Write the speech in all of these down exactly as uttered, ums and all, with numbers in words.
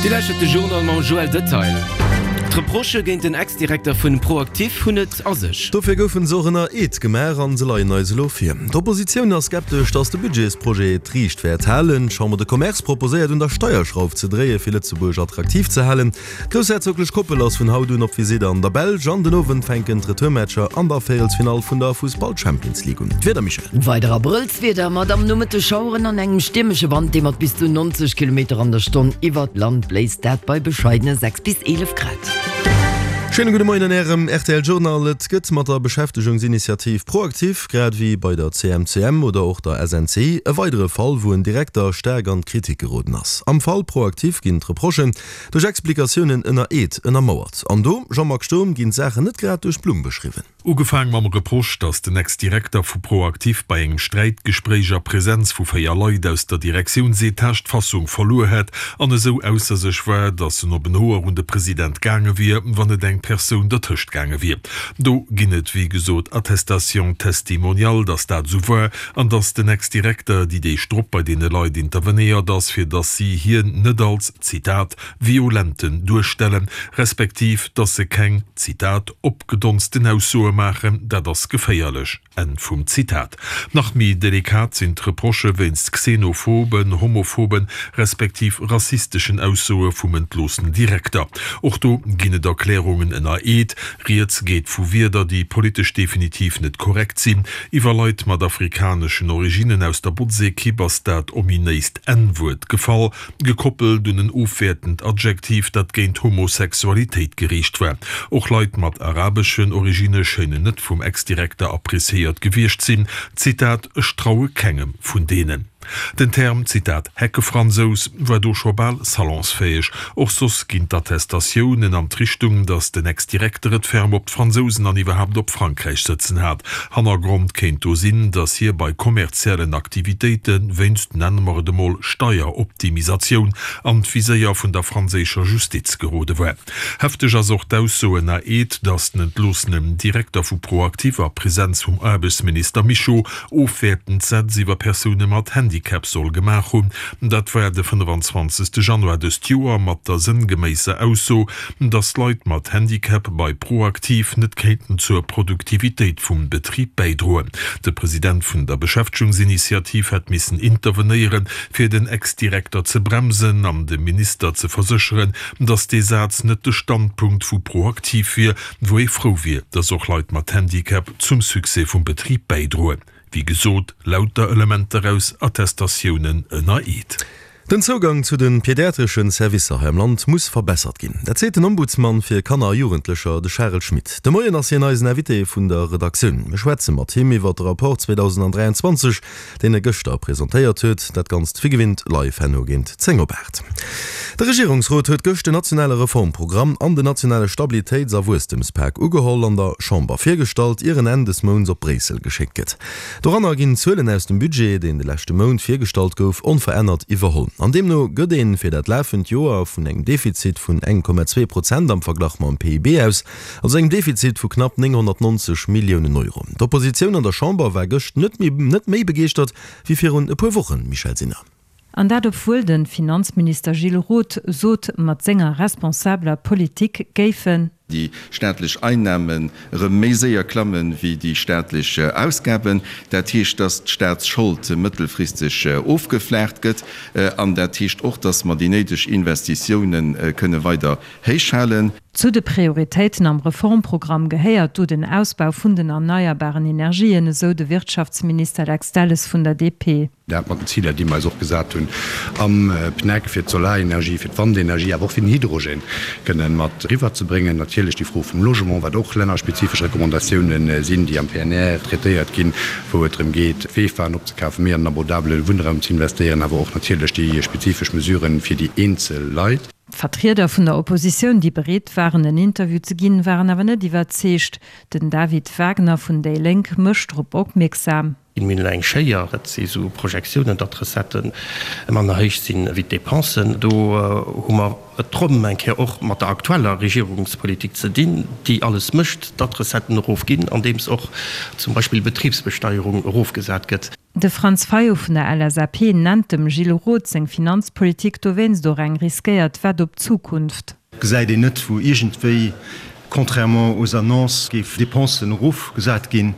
Dir lauschtert de Journal mam Joël Detail. D'Reprochë géint den Ex-Direkter vun ProActif hunn et a sech. Dofir goufen se och ënner Eed gemaach an se leien eis elo vir. D'Oppositioun ass skeptesch, datt de Budgetsprojet d'Riicht wäert halen. D'Chambre de Commerce proposéiert un der Steierschrauf ze dréie fir Lëtzebuerg attraktiv ze halen. D'groussherzoglech Koppel ass vun haut un op Visitt an der Belsch an den Owend fänken d'Retourmatcher an der Véierelsfinall vun der Fussball-Champions League un. D'Wieder, Michèle? Weider Abrëllswieder mat am Nomëtteg Schaueren an engem stiermesche Wand, dee mat bis zu neunzeg Kilometer an der Stonn iwwert d'Land bléist, dat bei bescheidene sechs bis eelef Grad. Schéine gudde Moien an Ärem rtl Journal. Et gëtt mat der Beschäftegungsinitiativ ProActif, grad ewéi bei der C M C M oder och der S N C I, e weidere Fall, wou en Direkter staark an d'Kritik geroden ass. Am Fall ProActif ginn d'Reprochen duerch Explikatiounen ënner Eed ënnermauert. An do, Jean-Marc Sturm, ginn d'Saachen net grad duerch d'Blumm beschriwwen. Ugefaang mam Reproche, datt den Ex-Direkter vu ProActif bei engem Sträitgespréich a Presenz vu véier Leit aus der Direktiounsetage d'Fassung verluer hätt an esou ausser sech war, datt en op en Hoer un de President gaange wier, wann net eng Persoun dertëscht gaange wier. Do ginn et wéi gesot Attestations testimoniales, datt dat esou war an datt den Ex-Direkter déi Deeg drop bei deene Leit intervenéiert ass, fir datt si hien net als, Zitat, Violenten duerstellen, respektiv datt se keng, Zitat, opgedonsten Aussoe maachen, dat ass geféierlech. Enn vum Zitat. Nach méi delikat sinn d'Reprochë wéinst xenophoben, homophoben, respektiv rassisteschen Aussoe vum entloossenen Direkter. Och do ginn et Erklärungen ënner Eed. Rieds geet vu Wierder, déi politesch definitiv net korrekt sinn. Iwwer Leit mat afrikaneschen Originnen aus der Botzekipp ass dat ominéist N-Wuert gefall, gekoppelt un en ofwäertend Adjektiv, dat géint Homosexualitéit geriicht war. Och Leit mat arabeschen Originne schéinen net vum Ex-Direkter appreciéiert gewiescht sinn, Zitat, Ech traue kengem vun deenen. Den Term, Zitat, Heckefransous war do scho bal salonsfäeg. Och soss ginn d'Attestatiounen an d'Richtung, datt den Ex-Direkter et ferm op d'Fransousen an iwwerhaapt op Frankräich sëtzen hat. Hannergrond kéint do sinn, datt hie bei kommerziellen Aktivitéite wéinst, nenne mer et emol, Steieroptimisatioun an d'Viséier vun der franséischer Justiz gerode war. Hefteg ass och d'Ausso ënner Eed, datt den entloossenen Direkter vu ProActif a Presenz vum Aarbechtsminister Mischo ofwäertend Sätz iwwer Persoune mat Handicap soll gemaach hunn. Dat war de fënnefanzwanzegste Januar dëst Joer mat der sënngeméisser Ausso, datt Leit mat Handicap bei ProActif net kéinten zur Produktivitéit vum Betrib bäidroen. De President vun der Beschäftegungsinitiativ hätt missen intervenéieren, fir den Ex-Direkter ze bremsen an dem Minister ze versécheren, datt dee Saz net de Standpunkt vu ProActif wier, wou ee frou wier, datt och Leit mat Handicap zum Succès vum Betrib bäidroen. Wéi gesot, lauter Elementer aus Attestatiounen ënner Eed. Den Zougang zu de pediatreschen Servicer hei am Land muss verbessert ginn. Dat seet den Ombudsman fir Kanner a Jugendlecher, de Charel Schmit. De Moien ass hien eisen Invité vun der Redaktioun. Mir schwätze mat him iwwer de Rapport zweedausenddräianzwanzeg, deen e gëschter presentéiert huet. Dat Ganzt wéi gewinnt live herno géint zéng op aacht. De Regierungsrot huet gëscht den nationale Reformprogramm an den nationale Stabilitéits a Wuesstemspak ugeholl an der Chamber virgestallt, ier en Enn des Mounts op Bréissel geschéckt gëtt. Doranner ginn d'Zuelen aus dem Budget, deen de leschte Mount virgestallt gouf, onverännert iwwerholl. An deemno gëtt ee fir dat lafend Joer vun engem Defizit vun eng Komma zwee Prozent am Verglach mam P I B aus, also engem Defizit vu knapp nénghonnertnonzeg Milliounen Euro. D'Oppositioun an der Chamber war gëscht net méi net méi begeeschtert wéi virun e puer Wochen, Michèle Sinner. An dat obwuel de Finanzminister Gilles Roth sot, mat senger responsabeler Politik géifen. Déi staatlech Einnamen erëm méi séier klammen wéi déi staatlech Ausgaben. Dat heescht, dass d'Staatsschold mëttelfristeg ofgeflaacht gëtt an dat heescht och, dass mer déi néideg Investitiounen kënne weider héich halen. Zu de Prioritéiten am Reformprogramm gehéiert do den Ausbau vun den erneierbaren Energien, esou de Wirtschaftsminister Lex Delles vun der D P. Dat mat den Ziler, déi mer eis och gesat hunn am P N E C fir d'Solarenergie, fir d'Wandenergie, awer och fir den Hydrogen kënnen mat eriwwerzebréngen. Natierlech déi Fro vum Logement, wat och lännerspezifesch Recommandatiounen sinn, déi am P N R traitéiert ginn, wou et drëm geet, V F Aen opzekafen, méi an den abordabele Wunnraum ze investéieren, awer och natierlech déi spezifesch Mesuren fir déi eenzel Leit. D'Vertrieder vun der Oppositioun, déi bereet waren en Interview ze ginn, waren awer net iwwerzeegt. Den David Wagner vun déi Lénk mécht drop opmierksam. Mir hunn elo eng Schéier, dat si sou Projektiounen, datt d'Recettë manner héich sinn wéi d'Depensen. Do hu mer et rëm eng Kéier och mat der aktueller Regierungspolitik ze dinn, déi alles mécht, datt d'Recetten erofginn, andeems och zum Beispill d'Betribsbesteierung erofgesat gëtt. De Franz Fayot vun der L S A P nennt dem Gilles Roth seng Finanzpolitik dowéinst och eng riskéiert Wett op d'Zukunft. Gesäit een net, wou iergendwéi, contrairement aux annonces, géif Dépensen erofgesat ginn.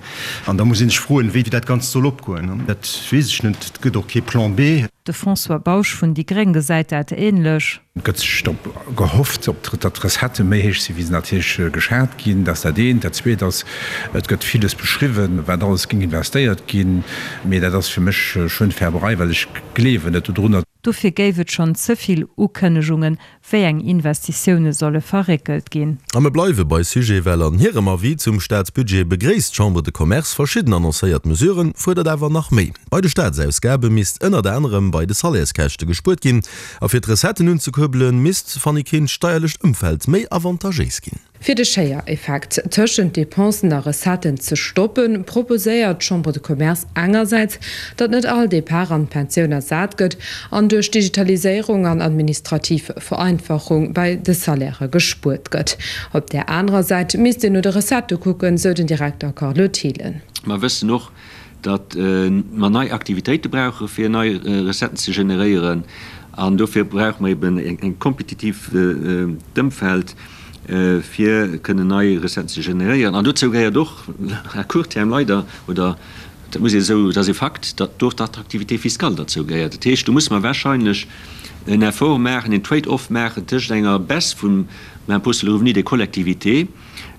An da muss ee sech froen, wéi dat Ganzt soll opgoen. Dat weess ech net. Et gëtt och kee Plan B. De François Bausch vun déi gréng gesäit dat änlech. Et gëtt sech drop gehofft, op datt d'Recettë méi héich sinn, wéi se natierlech geschat ginn. Dat ass dat eent. Dat zweet ass, et gëtt villes beschriwwen, wat alles géing investéiert ginn. Mee dat ass fir mech Schönfärberei, well ech gleewen net dodrunner. Dofir géif et schonn ze vill Ukënnegungen, wéi eng Investitioune solle verréckelt ginn. A mir bleiwe bei Sujet, well an hirem Avis zum Staatsbudget begréisst d'Chambre de Commerce verschidden annoncéiert Mesuren, fuerdert awer nach méi. Bei de Staatsausgabe misst ënnert anerem bei de Salaires-Käschte gespuert ginn. A fir d'Recetten unzekuerbelen, misst, Fanny Kinn, d'steierlecht Ëmfeld méi avantagéis ginn. Fir de Schéiereffekt tëschent Dépensen a Recetten ze stoppen, proposéiert d'Chambre de Commerce engersäits, datt net all Depart an d'Pensioun ersat gëtt an duerch Digitaliséierung an administrativ Vereinfachung bei de Salairë gespuert gëtt. Op där anerer Säit misst een no de Recettë kucken, sou den Direkter Carlo Thelen. Mer wëssen och, datt mer nei Aktivitéite brauche fir nei Recetten ze generéieren an dofir brauche mer eben eng kompetitiivt Ëmfeld, fir kënnen nei Recetten ze generéieren. An dozou gehéiert och à court terme leider, oder dat muss ee esou, dat ass e Fakt, datt do och d'Attractivité fiscale derzou gehéiert. Dat heescht, do musse mer wahrscheinlech en Effort maachen, en Trade-off maachen tëscht enger Baisse vum Impôt sur le revenu des collectivités,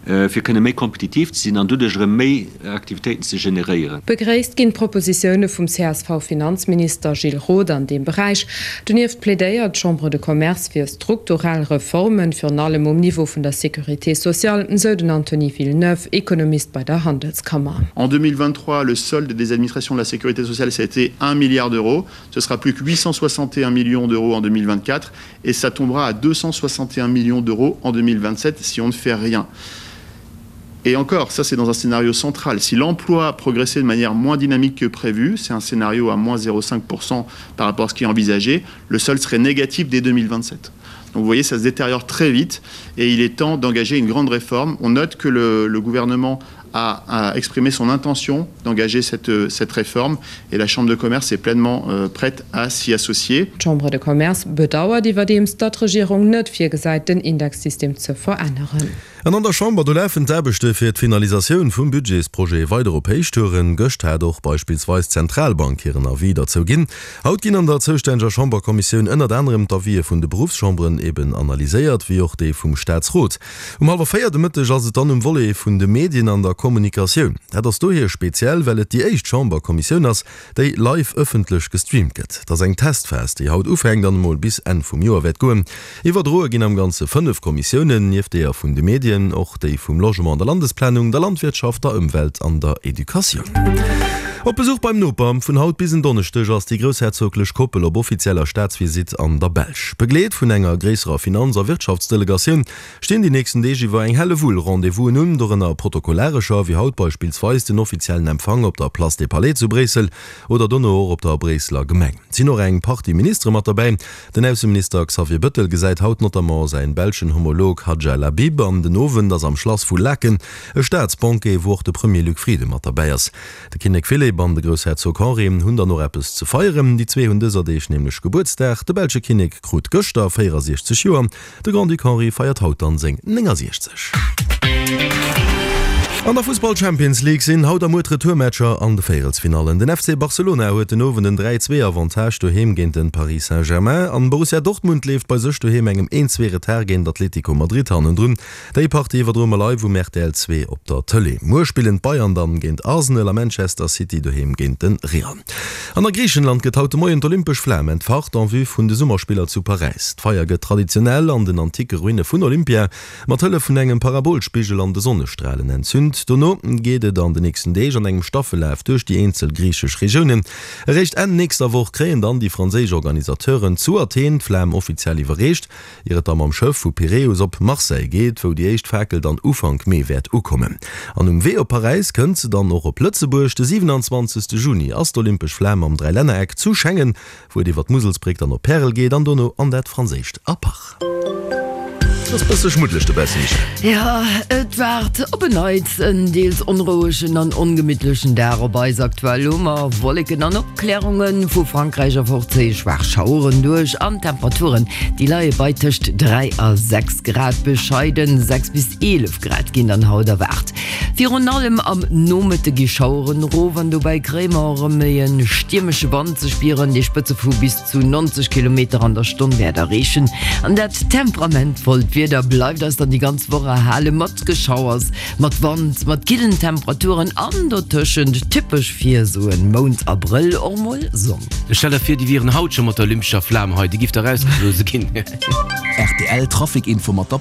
fir kënne méi kompetitiv ze sinn an doduerch erëm méi Aktivitéiten ze generéieren. Begréisst ginn d'Propositioune vum C S V-Finanzminister Gilles Roth an deem Beräich. Donieft plädéiert d'Chambre de Commerce fir strukturell Reformen, virun allem um Niveau vun der Sécurité sociale, sou den Anthony Villeneuve, Ekonomist bei der Handelskammer. En deux mille vingt-trois, le solde des administrations de la Sécurité sociale, ça a été un milliard d'euros. Ce sera plus que huit cent soixante et un millions d'euros en deux mille vingt-quatre et ça tombera à deux cent soixante et un millions d'euros en deux mille vingt-sept si on ne fait rien. Et encore, ça c'est dans un scénario central. Si l'emploi progressait de manière moins dynamique que prévu, c'est un scénario à moins zéro virgule cinq pour cent par rapport à ce qui est envisagé, le solde serait négatif dès deux mille vingt-sept. Donc vous voyez, ça se détériore très vite et il est temps d'engager une grande réforme. On note que le, le gouvernement a, a exprimé son intention d'engager cette, cette réforme et la Chambre de commerce est pleinement, euh, prête à s'y associer. D'Chambre de Commerce bedauert iwwerdeems, datt d'Regierung net virgesäit, den Indexsystem ze veränneren. An an der Chamber do lafen d'Aarbechte fir d'Finalisatioun vum Budgetsprojet weider op Héichtouren. Gëscht hat och beispillsweis d'Zentralbank hiren Avis derzou ginn. Haut ginn an der zoustänneger Chamberkommissioun ënnert anerem d'Avisë vun de Beruffschamberen eben analyséiert, wéi och déi vum Staatsrot. Um hallwer véier de Mëtteg ass et dann um Volet vun de Medien an der Kommunikatioun. Dat ass dohier speziell, well et déi éischt Chamberkommissioun ass, déi live ëffentlech gestreamt gëtt. Dat ass eng Testphas, déi haut ufänkt an emol bis Enn vum Joer wäert goen. Iwwerdroe ginn am Ganze fënnef Kommissiounen, nieft deeër vun de Medien, och déi vum Logement, der Landesplanung, der Landwirtschaft, der Ëmwelt an der Educatioun. Op Besuch beim Noper vun haut bis en Donneschdeg ass déi groussherzoglech Koppel op offizieller Staatsvisitt an der Belsch. Begleet vun enger gréisserer Finanz- a Wirtschaftsdelegatioun stinn déi nächsten Deeg iwwer eng Hellewull Rendez-vousen un, dorënner protokollarescher, wéi haut beispillsweis den offiziellen Empfang op der Place des Palais zu Bréissel oder dono och op der Bréisseler Gemeng. Et sinn och eng Partie Ministere mat derbäi. Den Ausseminister Xavier Bettel gesäit haut notamment säin belschen Homolog Hadja Lahbib an den Owend ass am Schlass vu Laeken e Staatsbanquet, wou och de Premier Luc Frieden mat derbäi ass. De Kinnek Philippe an de Groussherzog Henri hunn dann och eppes ze feieren. Déi zwee hunn dëser Deeg nämlech Gebuertsdag. De belsche Kinnek krut gëschter véierasiechzeg Joer. De Grand-Duc Henri feiert haut dann seng néngasiechzeg. An der Fussball Champions League sinn haut a muer d'Retourmatcher an de Véierelsfinallen. Den F C Barcelona huet den Owend en dräi zwee Avantage doheem géint den Paris Saint-Germain an Borussia Dortmund leeft bei sech doheem engem een zwee Retard géint Atletico Madrid hannendrun. Déi Partie iwwerdroe mer live um R T L zwee op der Tëlee. Muer spillen d'Bayern dann géint Arsenal a Manchester City doheem géint den Real. An a Griichenland gëtt haut de Moien d'Olympesch Flam entfacht en vue vun de Summerspiller zu Paräis. D'Feier gëtt traditionell an den antike Ruine vun Olympia mat Hëllef vun engem Parabolspigel an de Sonnestralen entzünt. Mount. Dono geet et an de nächsten Deeg an engem Staffellaf duerch déi eenzel griichesch Regiounen. Eréischt Enn nächster Woch kréien dann déi franséisch Organisateuren zu Athen d'Flam offiziell iwwerreecht, ier et da mam Schëff vu Piräus op Marseille geet, wou déi éischt Fakel dann Ufank Mee wäert ukommen. An um Wee op Paräis kënnt se dann och op Lëtzebuerg. De siwenanzwanzegste Juni ass d'Olympesch Flam am Dräilännereck zu Schengen, wou et iwwer d'Muselsbréck dann op Pärel geet an dono an dat franséischt Apach. Et ass bësse schmuddeleg dobaussen, Michèle. Jo, et waart op en Neits en deels onrouegen an ongemittlechen Dag op eis. Aktuell hu mer Wolleken an Opklärungen, vu Frankräich erfort zéie schwaach Schaueren duerch an d'Temperaturen, déi leie bei tëscht dräi a sechs Grad. Bescheiden sechs bis eelef Grad ginn dann haut erwaart. Virun allem am Nomëtte gi Schaueren erof an dobäi kréie mer erëm méi e stiermesche Wand ze spieren, dee Spëtze vu bis zu neunzeg Kilometer an der Stonn wäert erreechen. An dat temperamentvollt Wieder bleift eis dann déi ganz Woch erhale mat Geschauers, mat Wand, mat killen Temperaturen an dotëschent, typesch fir esou e Mount Abrëll, och mol Sonn. Stell der vir, déi wieren haut scho mat der olympescher Flam hei, déi giff da rausgeblose ginn. Rtl Trafic Info mat der